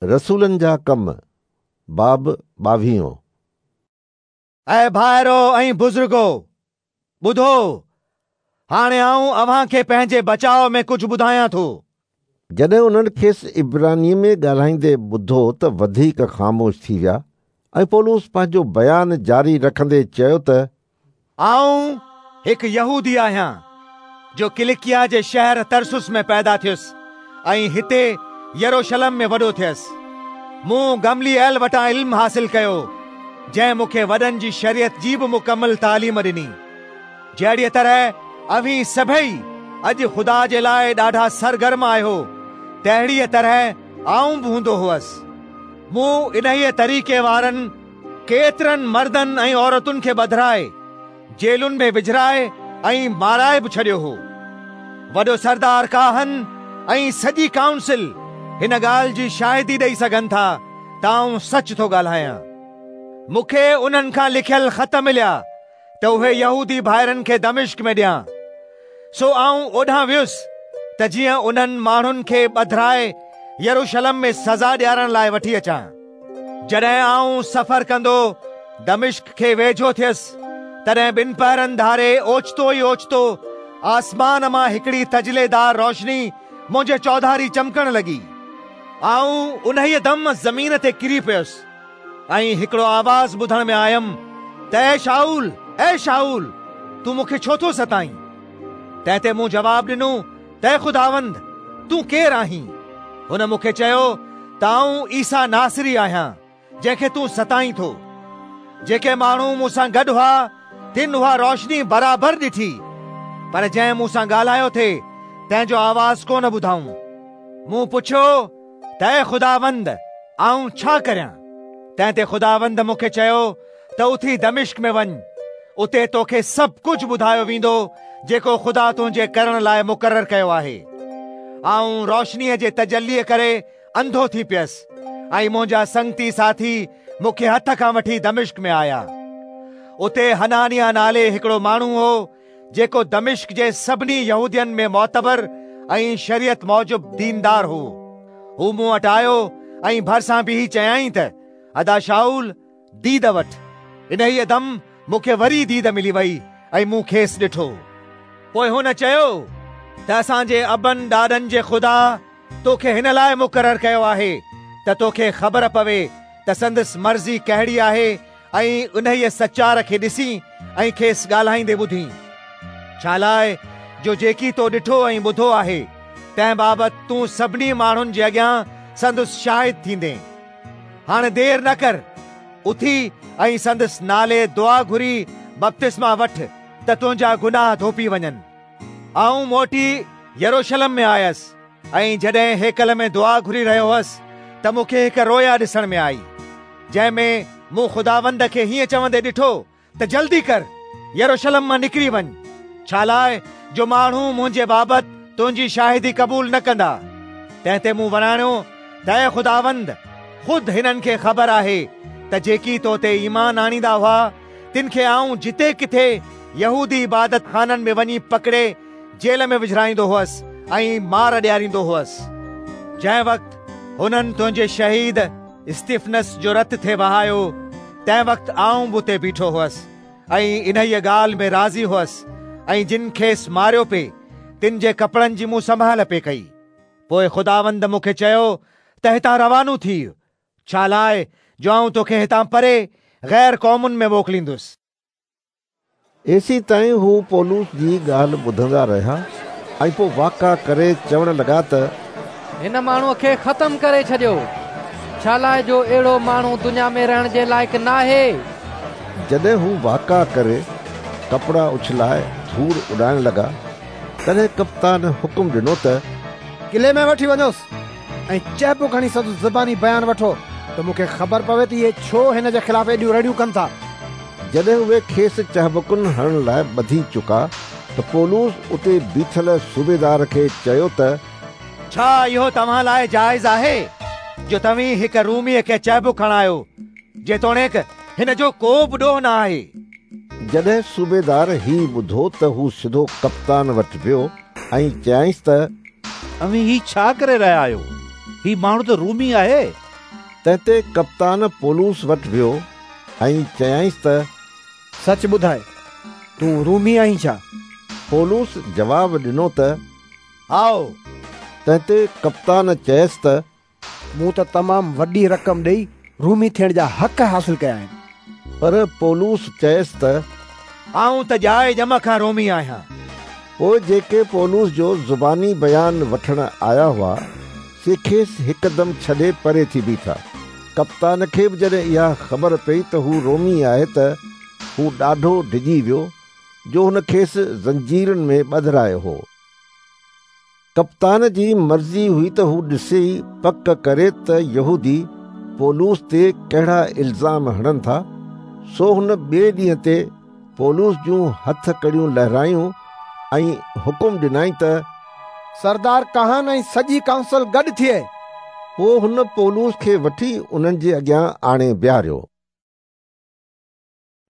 رسولن جا ڪم، باب ٻاويهون. اي ڀائرو ۽ بزرگو، ٻڌو، هاڻي آئون اوهان کي پنهنجي بچاء ۾ ڪجهه ٻڌايان ٿو. جڏهن انهن کيس عبرانيء ۾ ڳالهائيندي ٻڌو ته وڌيڪ خاموش ٿي ويا ۽ پولس پنهنجو بيان جاري رکندي چيو ته. آئون هڪ يهودي آهيان، جو ڪلڪيا جي شهر ترسس ۾ پيدا ٿيس ۽ هتي يروشلم ۾ وڏو ٿيس. مون گمليئيل وٽان علم حاصل ڪيو، جنهن مون کي وڏن جي شريعت جي به مڪمل تعليم ڏني. جهڙيء طرح اوهين سڀيئي اڄ خدا جي لاء ڏاڍا سرگرم آهيو، تهڙيء طرح آئون به هوندو هوس. مون انهيء طريقي وارن ڪيترن مردن ۽ عورتن کي ٻڌرائي، جيلن ۾ وجهرائي ۽ مارائي به ڇڏيو هو. وڏو سردار ڪاهن ۽ سڄي ڪائونسل هن ڳالهه جي شاهدي ڏئي سگهن ٿا ته آئون سچ ٿو ڳالهايان. مون کي انهن کان لکيل خط مليا ته اهي يهودي ڀائرن کي دمشق ۾ ڏيان. سو آئون اوڏانهن ويس ته جيئن انهن ماڻهن کي ٻڌرائي يروشلم ۾ سزا ڏيارڻ لاء وٺي اچان. جڏهن آئون سفر ڪندو دمشق کي ويجهو ٿيس، تڏهن ٻنپهرن ڌاري اوچتو ئي اوچتو آسمان مان هڪڙي تجليدار روشني منهنجي چوڌاري چمڪڻ لڳي. آئون انهيء دم زمين تي ڪري پيس. ۽ هڪڙو آواز ٻڌڻ ۾ آيم ته اي شائول، اي شائول، تون مون کي ڇو ٿو ستائين؟ تنهن تي مون جواب ڏنو ته اي خداوند، تون ڪير آهين؟ هن مون کي چيو ته آئون عيسيٰ ناصري آهيان، جنهن کي تون ستائين ٿو. جيڪي ماڻهو مون سان گڏ هئا، تن اها روشني برابر ڏٺي، پر جنهن مون سان ڳالهايو ٿي، تنهن جو آواز ڪونه ٻڌائون. مون پڇيو ته اي خداوند، آئون ڇا ڪريان؟ تنهن تي خداوند مون کي چيو ته اٿي دمشق ۾ وڃ، اتي توکي سڀ ڪجهه ٻڌايو ويندو جيڪو خدا تنهنجي ڪرڻ لاء مقرر ڪيو آهي. آئون روشنيء جي تجليء ڪري انڌو ٿي پيس ۽ منهنجا سنگتي ساٿي مون کي هٿ کان وٺي دمشق ۾ آيا. اتي حنانياه نالي هڪڙو ماڻهو هو، جيڪو دمشق جي سڀني يهودين ۾ معتبر ۽ شريعت موجب ديندار هو. هو مون وٽ آيو ۽ ڀرسان بيهي چيائين ته ادا شائول، ديد وٺ. انهيء دم مون کي وري ديد ملي وئي ۽ مون کيس ڏٺو. پوء هن چيو ته اسان جي ابن ڏاڏن جي خدا توکي هن لاء مقرر ڪيو آهي ته توکي خبر پوي ته سندس مرضي ڪهڙي آهي ۽ انهيء سچار کي ڏسين ۽ کيس ڳالهائيندي ٻڌين. ڇالاء جو جيڪي تو ڏٺو ۽ ٻڌو آهي، تنهن بابت تون سڀني ماڻهن جي اڳيان سندس شاهد ٿيندين. هاڻي دير نه ڪر، اٿي ۽ سندس نالي دعا گهري بپتسما وٺ ته تنهنجا گناهه ڌوپي وڃن. آئون موٽي يروشلم ۾ آيس ۽ جڏهن هيڪل ۾ دعا گهري رهيو هوس ته مون کي هڪ رويا ڏسڻ ۾ آئي، جنهن ۾ مون خداوند کي هيئن چوندي ڏٺو ته جلدي ڪر، يروشلم مان نڪري وڃ، ڇالاء جو ماڻهو منهنجي بابت تنهنجي شاهدي قبول نه ڪندا. تنهن تي مون وراڻيو ته اي خداوند، خود هنن کي خبر آهي ته جيڪي تو تي ايمان آڻيندا هئا، تن کي آئون جتي ڪٿي يهودي عبادت خانن ۾ وڃي پڪڙي جيل ۾ وجهرائيندو هئس ۽ مار ڏياريندو هئس. جنهن وقت هنن تنهنجي شهيد استفنس جو رت ٿي وهايو، تنهن وقت آئون به اتي بيٺو هئس ۽ انهيء ڳالهه ۾ راضي هئس ۽ جن کيس ماريو پئي، تن جي ڪپڙن جي مون سنڀال پئي ڪئي. پوء خداوند مون کي چيو ته هتان روانو ٿيء، ڇالاء جو آئون توکي هتان پري غير قومن ۾ موڪليندس. ايسين تائين هو پولس جي ڳالهه ٻڌندا رهيا ۽ پوء واڪا ڪري چوڻ لڳا ته. هن ماڻهوء کي ختم ڪري ڇڏيو، ڇالاء جو اهڙو ماڻهو دنيا ۾ رهڻ جي لائق ناهي. جڏهن هو واڪا ڪري، ڪپڙا اڇلائي ڌوڙ اڏائڻ لڳا، تڏهن ڪپتان حڪم ڏنو ته. قلعي ۾ وٺي وڃوس. ۽ چهبڪ هڻي سندس زباني بيان وٺو ته مون کي خبر پوي ته اهي ڇو هن جي خلاف ايڏيون رڙيون ڪن ٿا. جڏهن اهي کيس چهبڪن هڻڻ لاء ٻڌي چڪا ته پولس اتي بيٺل صوبيدار کي چيو ته. ڇا اهو توهان لاء جائز آهي جو توهين هڪ روميء کي چهبڪ هڻايو، جيتوڻيڪ هن جو ڪو به ڏوهه نه آهي؟ جڏهن صوبيدار هي ٻڌو ته هو سڌو ڪپتان وٽ ويو ۽ چيائينس ته. اوهين هي ڇا ڪري رهيا آهيو؟ هي ماڻهو ته رومي آهي. تنهن تي ڪپتان پولس وٽ ويو ۽ چيائينس ته سچ ٻڌاء، تون رومي آهين ڇا؟ پولس جواب ڏنو ته هائو. تنهن تي ڪپتان چيس ته مون ته تمام وڏي رقم ڏيئي رومي ٿيڻ جا حق حاصل ڪيا آهن. پر پولس چيس ته آئون ته ڄائي ڄم کان رومي آهيان. پوء جيڪي پولس جو زباني بيان وٺڻ آيا هئا، سي کيس هڪدم ڇڏي پري ٿي بيٺا. ڪپتان کي به جڏهن اها خبر پئي ته هو رومي آهي ته هو ڏاڍو ڊڄي ويو، جو هن کيس زنجيرن ۾ ٻڌرايو هو. ڪپتان جي مرضي هئي ته هو ڏسي پڪ ڪري ته يهودي پولس تي ڪهڙا الزام هڻن ٿا، سو هن ٻئي ڏينهن تي پولس جون هٿ ڪڙيون لهرايون ۽ حڪم ڏنائين ته سردار ڪاهن ۽ سڄي ڪائونسل گڏ ٿئي. پوء هن پولس کي وٺي انهن جي اڳيان آڻي بيهاريو.